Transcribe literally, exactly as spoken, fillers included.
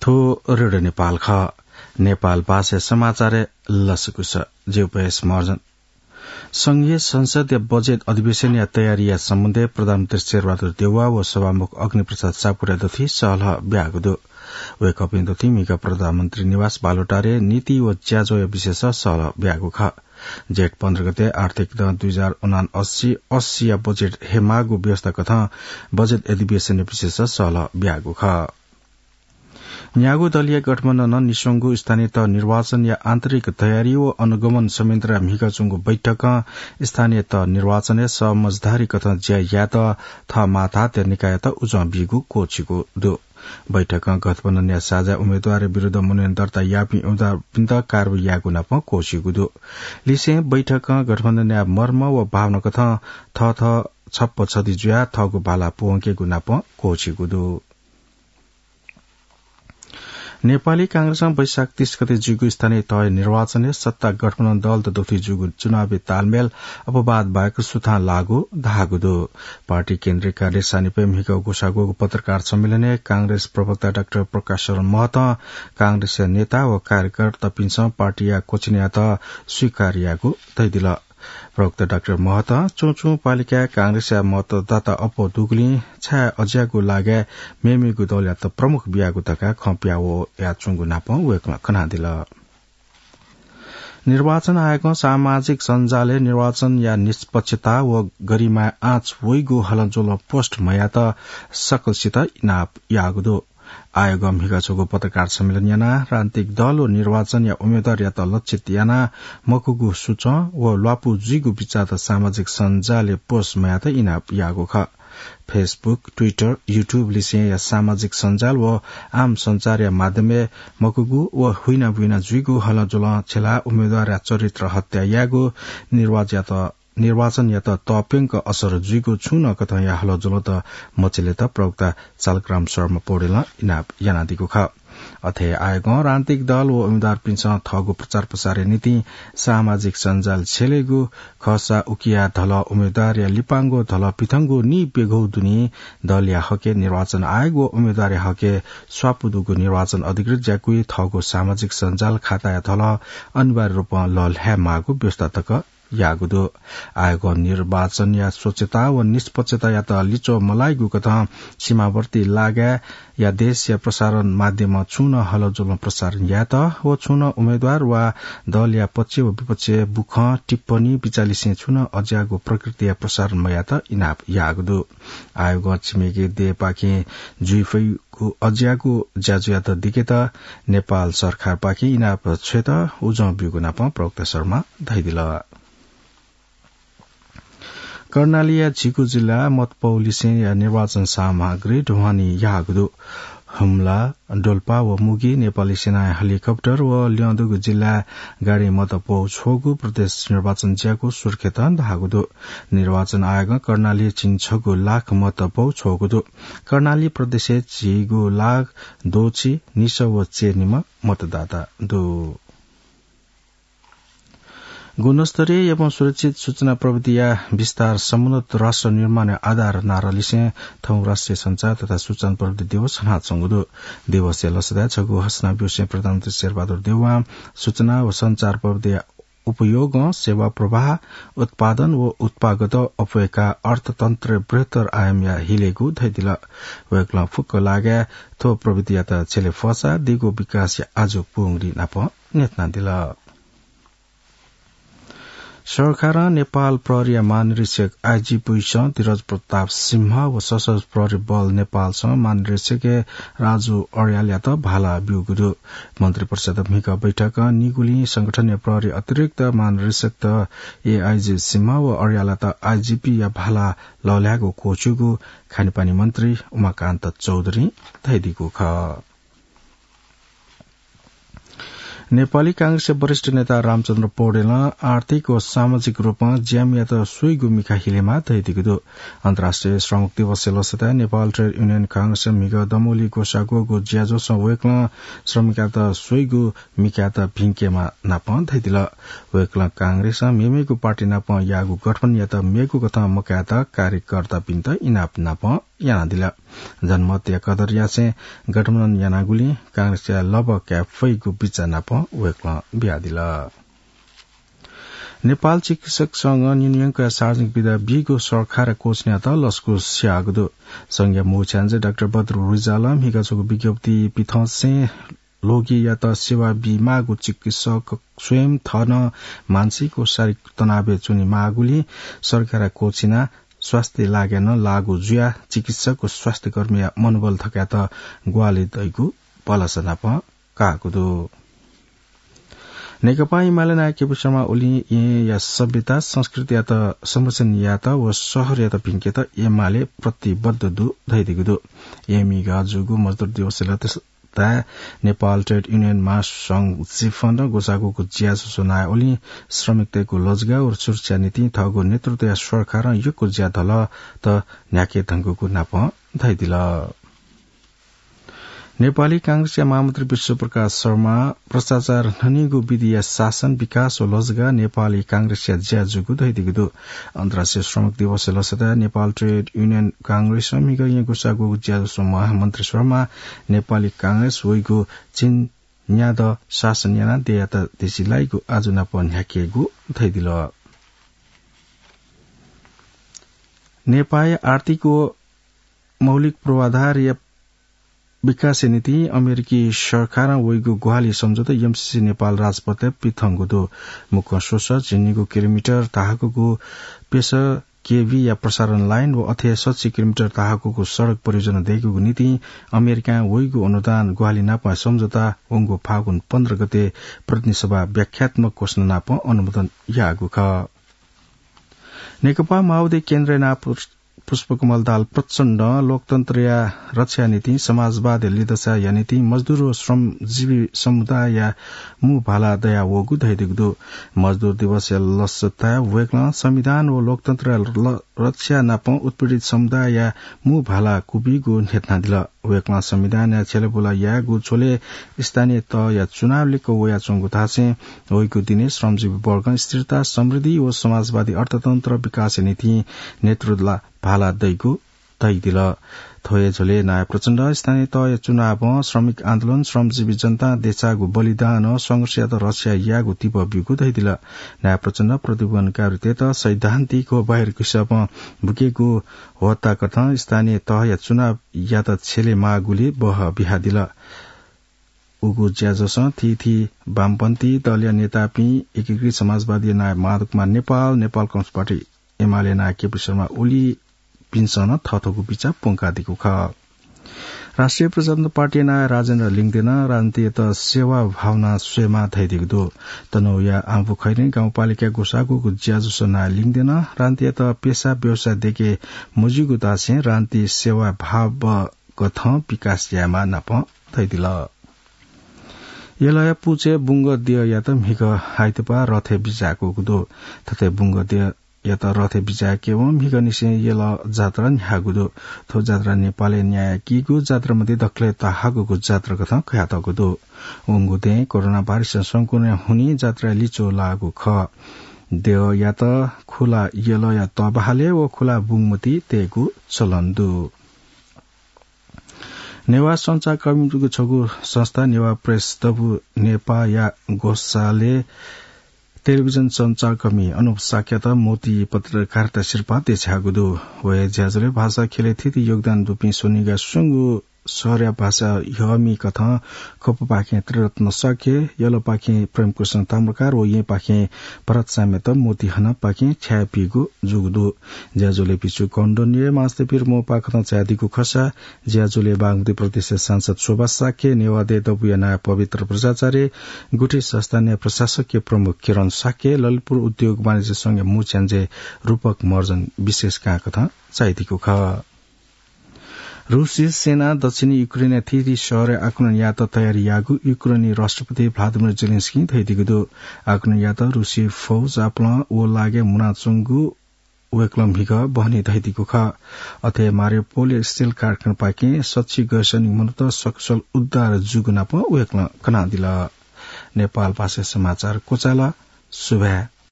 थ्व रेडियो नेपाल खः। नेपाल भाषाया समाचारय् लसकुस। जि उपयस महर्जन। संघीय संसदया बजेट अधिवेशनया तयारीया सम्बन्धय् प्रधानमन्त्री शेरबहादुर देउवा व सभामुख अग्निप्रसाद सापकोटाया दथुइ सहलह ब्याःगु दु। वय्कःपिं दथुइ म्हिगः प्रधानमन्त्री निवास बालुवाटारय् नीति व ज्याझ्वःया विषयस सहलह ब्याःगु खः। जेठ पन्ध्र गते आर्थिक दँ दुई हजार उनान्सय अस्सीया बजेट हे माःगु व्यवस्था कथं बजेट अधिवेशनया विषयस सहलह ब्याःगु खः। न्यागू दलया गठबन्धनं निस्वंगु स्थानीय तह निर्वाचनया आन्तरिक तयारी व अनुगमन संयन्त्रया म्हिगः च्वंगु बैठकं स्थानीय तह निर्वाचनय् समझदारी कथं ज्या यायेत थः माथात्या निकाययात उजं बीगु क्वःछिगु दु। बैठकं गठबन्धनया साझा उम्मेदवारया विरुद्ध मनोनयन दर्ता याःपिं उम्मेदवारपिन्त कारवाही यायेगु नापं क्वःछिगु दु। लिसें बैठकं गठबन्धनया मर्म व भावना कथं थःथः छप्पा छधी जुयाः थःगु भाला प्वंकेगु नापं क्वःछिगु दु। नेपाली कांग्रेसं वैशाख तीस गते जुइगु स्थानीय तह निर्वाचनय् सत्ता गठबन्धन दलत दथुइ जुइगु चुनावी तालमेल अपवाद बाहेक सुथां लाःगु धाःगु दु। पार्टी केन्द्रीय कार्यालय सानिपय् म्हिगः ग्वसाः ग्वःगु पत्रकार सम्मेलनय् कांग्रेस प्रवक्ता डाक्टर प्रकाश शरण महतं कांग्रेसया नेता व कार्यकर्तापिन्सं पार्टीया क्वःछिनयात स्वीकार यायेगु धयादिल। प्रवक्ता डाक्टर महतं चुं चुं पालिकाय् कांग्रेसया मतदाता अप्वः दुगुलिं छाय् अज्याःगु लागाय् मेमेगु दलयात प्रमुख बियागु धकाः खँ पिहां वयाच्वंगु नापं वय्कलं कनादिल। निर्वाचन आयोगं सामाजिक सञ्जालय् निर्वाचनया निष्पक्षता व गरिमाय् आँच वइगु हलंज्वलं पोस्ट मयायेत सकलसित इनाप याःगु दु। आयोगं म्हिगः छगू पत्रकार सम्मेलन यानाः राजनीतिक दल व निर्वाचनया उम्मेदवारयात लक्षित यानाः मखुगु सुचं व ल्वापु जुइगु बिचाःत सामाजिक सञ्जालय् पोस्ट मयायेत इनाप याःगु खः। Facebook, Twitter, YouTube लिसेंया सामाजिक सञ्जाल व आम सञ्चारया माध्यमय् मखुगु व हुइनाबुइना जुइगु हलंज्वलं छ्यलाः उम्मेदवारया चरित्र हत्या यायेगु निर्वाचनयात निर्वाचनयात तःप्यंक असर जुइगु छुं नं कथंया हलंज्वलंत मछिलेत प्रवक्ता चालकराम शर्मा पौडेलं इनाप यानादीगु खः। अथे आयोगं राजनीतिक दल व उम्मेदवारपिन्सं थःगु प्रचार प्रसारया निंतिं सामाजिक सञ्जाल छ्यलेगु खःसा उकिया धलः उम्मेदवारया लिपांगु धलः पिथंगु निप्यघौ दुने दलया हके निर्वाचन आयोग व उम्मेदवारया हके स्वापू दुगु निर्वाचन अधिकृत ज्याकुइ थःगु सामाजिक सञ्जाल खाताया धलः अनिवार्य रूपं लःल्हाये माःगु व्यवस्था तक याःगु दु। आयोगं निर्वाचनया स्वच्छता व निष्पक्षतायात लिच्वः मलाइगु कथं सीमावर्ती लागाय्‌या देशया प्रसारण माध्यमं छुं नं हलंज्वलं प्रसारण यायेत व छुं नं उम्मेदवार वा दलया पक्ष व विपक्षय् बुखँ, टिप्पणी, बिचाः लिसें छुं नं अज्याःगु प्रकृतिया प्रसारण मयायेत इनाप याःगु दु। आयोगं छिमेकी देय्‌पाखें जुइ फइ अज्याःगु ज्याझ्वःयात दिकेत नेपाल सरकारपाखें इनाप छ्वयेत उजं ब्यूगु नापं प्रवक्ता शर्मां धयादिल। कर्णालीया झिगू जिल्लाय् मतपौ लिसेंया निर्वाचन सामग्री ढुवानी याःगु दु। हुम्ला, डोल्पा व मुगि नेपाली सेनाया हेलिकप्टर व ल्यं दुगु जिल्लाय् गाडीं मतपौ छ्वःगु प्रदेश निर्वाचन ज्याकू सुर्खेतं धाःगु दु। निर्वाचन आयोगं कर्णालीय् झिंछगू लाख मतपौ छ्वःगु दु। कर्णाली प्रदेशय् झिगू लाख द्वःछि निसः व चय्‌निम्ह मतदाता दु। गुणस्तरीय एवं सुरक्षित सूचना प्रविधिया विस्तार समुन्नत राष्ट्र निर्माणया आधार नारा लिसें थौं राष्ट्रिय सञ्चार तथा सूचना प्रविधि दिवस हनाच्वंगु दु। दिवसया लसताय् छगू घोषणा ब्यूसें प्रधानमन्त्री शेरबहादुर देउवां सूचना व सञ्चार प्रविधिया उपयोगं सेवा प्रवाह, उत्पादन व उत्पादकता अप्वय्‌काः अर्थतन्त्रय् बृहत्तर आयामया हिलेगु धयादिल। वय्‌कलं फुक्क लागाय् थ्व प्रविधियात छ्यले फःसा दीगु विकासया आजु पुंगुली नाप न्ह्यथनादिल। सरकारं नेपाल प्रहरीया महानिरीक्षक आइजिपीसं धीरज प्रताप सिंह व सशस्त्र प्रहरी बल नेपालसं महानिरीक्षक राजु अर्यालयात भाला ब्यूगु दु। मन्त्रिपरिषद् म्हिगः बैठकं निगुलिं संगठनया प्रहरी अतिरिक्त महानिरीक्षकत एआइजी सिंह व अर्यालयात आइजिपीया भाला लःल्हायेगु क्वःछिउगु खानेपानी मन्त्री उमाकान्त चौधुरीं धयादीगु खः। नेपाली कांग्रेसया वरिष्ठ नेता रामचन्द्र पौडेलं आर्थिक व सामाजिक रूपं ज्यामियात स्वइगु मिखा हिलेमाः धयादीगु दु। अन्तर्राष्ट्रिय श्रमिक दिवसया लसताय् नेपाल ट्रेड युनियन कांग्रेसया म्हिगः दमौली ग्वसाः ग्वःगु ज्याझ्वलय् वय्‌कलं श्रमिकयात स्वइगु मिखायात भिंकेमाः नापं धयादिल। वय्‌कलं कांग्रेसं मेमेगु पार्टी नाप याःगु गठबन्धनयात मेगु कथं मकायेत कार्यकर्तापिन्त इनाप नापं यानादिल। जनमतया कदर यासें गठबन्धन यानागुलिं कांग्रेसया लबः काये फइगु बिचाः नाप वय्कलं बियादिल। नेपाल चिकित्सक संघं न्यंकया सार्वजनिक बिदा बीगु सरकारया क्वःछिनात लसकुस याःगु दु। संघया मुख्य च्यान्जे डाक्टर बद्र रिजालं म्हिगः छगू विज्ञप्ति पिथंसें रोगीयात सेवा बीमाःगु चिकित्सक स्वयं थः नं मानसिक व शारीरिक तनावय् च्वनीमाःगुलिं सरकारया क्वःछिना स्वास्थ्य लागाय् नं लागू जुयाः चिकित्सक व स्वास्थ्यकर्मीया मनोबल थकायेत ग्वाहालि दइगु भलसा नाप काःगु दु। नेकपा एमाले नायः केपी शर्मा ओलीं येँया सभ्यता संस्कृतियात संरक्षण यायेत व शहरयात भिंकेत एमाले प्रतिबद्ध दु धयादीगु दु। येँय् म्हिगः जूगु मजदुर दिवसय् लसताय् नेपाल ट्रेड युनियन महासंघ जिफं ग्वसाःगु ज्याझ्वलय् नायः ओलीं श्रमिकतय्गु लजगाः व सुरक्षा निंतिं थःगु नेतृत्वया सरकारं यक्व ज्या धलत न्ह्याके धुंकूगु नाप धयादिल। नेपाली कांग्रेसया महामन्त्री विश्वप्रकाश शर्मा भ्रष्टाचार न्हनीगु विधिया शासन, विकास व लजगाः नेपाली कांग्रेसया ज्या जूगु धयादीगु दु। अन्तर्राष्ट्रिय श्रमिक दिवसय् लसताय् नेपाल ट्रेड युनियन कांग्रेसं म्हिगः येँय् ग्वसाःगु ज्याझ्वलय् महामन्त्री शर्मा नेपाली कांग्रेस वइगु चिन न्यादँ शासन यानाः देय्‌यात देछिलाइगु आजु नाप न्ह्याकेगु धयादिल। नेपाःया आर्थिक व मौलिक पूर्वाधारया विकासया निंतिं अमेरिकी सरकारं वइगु ग्वाहालि सम्झौता एमसीसी नेपाल राजपथय् पिथंगु दु। मुक्कं स्वसः झिंनिगू किलोमिटर धाःगुगु पेसर केभीया प्रसारण लाइन व अथे सच्छि किलोमिटर धाःगुगु सडक परियोजना दयेकेगु निंतिं अमेरिकां वइगु अनुदान ग्वाहालि नाप सम्झौता वंगु फागुन पन्ध्र गते प्रतिनिधि सभा व्याख्यात्मक घोषणा नाप अनुमोदन याःगु खः। नेकपा माओवादी केन्द्रया नायः पुष्पकमल दाहाल प्रचण्डं लोकतन्त्रया रक्षाया निंतिं समाजवादया लिधचाया निंतिं मजदुर व श्रमजीवी समुदायया मू भाला दयावःगु धयादीगु दु। मजदुर दिवसया लसताय् वय्कलं संविधान व लोकतन्त्रया ल-, रक्षा नाप उत्पीडित समुदायया मू भाला क्वबीगु न्ह्यथनादिल। वय्कलं संविधानया छ्यलेबुला यायेगु झ्वलय् स्थानीय तहया चुनाव लिक्क वयाच्वंगु धासें वइगु दिनय् श्रमजीवी वर्गं स्थिरता, समृद्धि व समाजवादी अर्थतन्त्र विकासया निंतिं नेतृत्वला भाला दइगु धयादिल। थ्व हे झ्वलय् नायः प्रचण्डं स्थानीय तहया चुनावं श्रमिक आन्दोलन, श्रमजीवी जनतां देछाःगु बलिदानं संघर्षयात रक्षा यायेगु तिबः ब्यूगु धयादिल। नायः प्रचण्डं प्रतिबन्धकारीतय्त सैद्धान्तिक व बाहिरकि सपं बुकेगु ह्वःताकथं स्थानीय तहया चुनावयात छ्यले माःगुलि बहः बियादिल। उगु ज्याझ्वलय् थीथी वामपन्थी दलया नेतापिं, एकीकृत समाजवादी नायः माधव कुमार नेपाल, नेपाल कम्युनिस्ट पार्टी एमाले नायः केपी शर्मा ओलीपिन्सं नं थःथःगु बिचाः प्वंकादीगु खः। राष्ट्रिय प्रजातन्त्र पार्टी नायः राजेन्द्र लिङदेनं राजनीतियात सेवा भावना स्वयेमाः धयादीगु दु। तनहुँया आँबुखैरें गाउँपालिकाय् ग्वसाःगु ज्याझ्वलय् नायः लिङदेनं राजनीतियात पेसा व्यवसाय दयेके मज्यूगु धासें राजनीति सेवा भाव कथं विकास यायेमाः नाप धयादिल। यलया पुचय् बुंगद्यःयात म्हिगः आइतबाः रथय् बिज्याकूगु दु। थथे बुंगद्यःयात रथय् बिज्याकेवं म्हिगःनिसें यल जात्रा न्ह्याःगु दु। थ्व जात्रा नेपालय् न्यायेकीगु जात्रा मध्ये दकलय् तःहाकःगु जात्रा कथं कयातःगु दु। वंगु दँय् कोरोना भाइरसया संक्रमणया हुनिं जात्राय् लिच्वः लाःगु खः। द्यःयात खुला यलया तःबहालय् व खुला बुंगमति तयेगु चलन दु। नेवाः सञ्चारकर्मीगु छगू संस्था नेवाः प्रेस दबू नेपाःया ग्वसालय् टेलिभिजन सञ्चारकर्मी अनुप शाक्ययात मोती पत्रकारिता सिरपाः देछाःगु दु। व हे ज्याझ्वलय् भाषा ख्यलय् थीथी योगदान दुपिं स्वनिगः स्वंगू शहरया भाषा ह्यःमि कथं खपुपाखें त्रिरत्न शाक्य, यलपाखें प्रेमकृष्ण ताम्रकार व येँपाखें भरत साम्यत मोती हनापाखें छायेपीगु जूगु दु। ज्याझ्वलय् भिक्षु कौण्डन्य मास्ति पीर मोपा कथं चायादीगु खःसा ज्याझ्वलय् बागमती प्रदेशया सांसद शोभा शाक्य, नेवाः देय् दबूया नायः पवित्र बज्राचार्य, गुठी संस्थानया प्रशासकीय प्रमुख किरण शाक्य, ललितपुर उद्योग वाणिज्य संघया मू च्यान्जे रूपक महर्जन विशेष कां कथं चायादीगु खः। रूसी सेनां दक्षिणी युक्रेनया थीथी शहरय् आक्रमण यायेत तयारी याःगु युक्रेनी राष्ट्रपति भ्लादिमिर जेलेन्स्कीं धयादीगु दु। आक्रमण यायेत रूसी फौज आपालं वःलागाय् मुनाच्वंगु वय्कलं म्हिगः बहनी धयादीगु खः। अथे मारियोपोलया स्टिल कारखानापाखें सच्छि गैसैनिक मनूत सकुशल उद्धार जूगु नाप वय्कलं कनादिल। नेपाल भाषाय् समाचार क्वचाल। सुभाय्।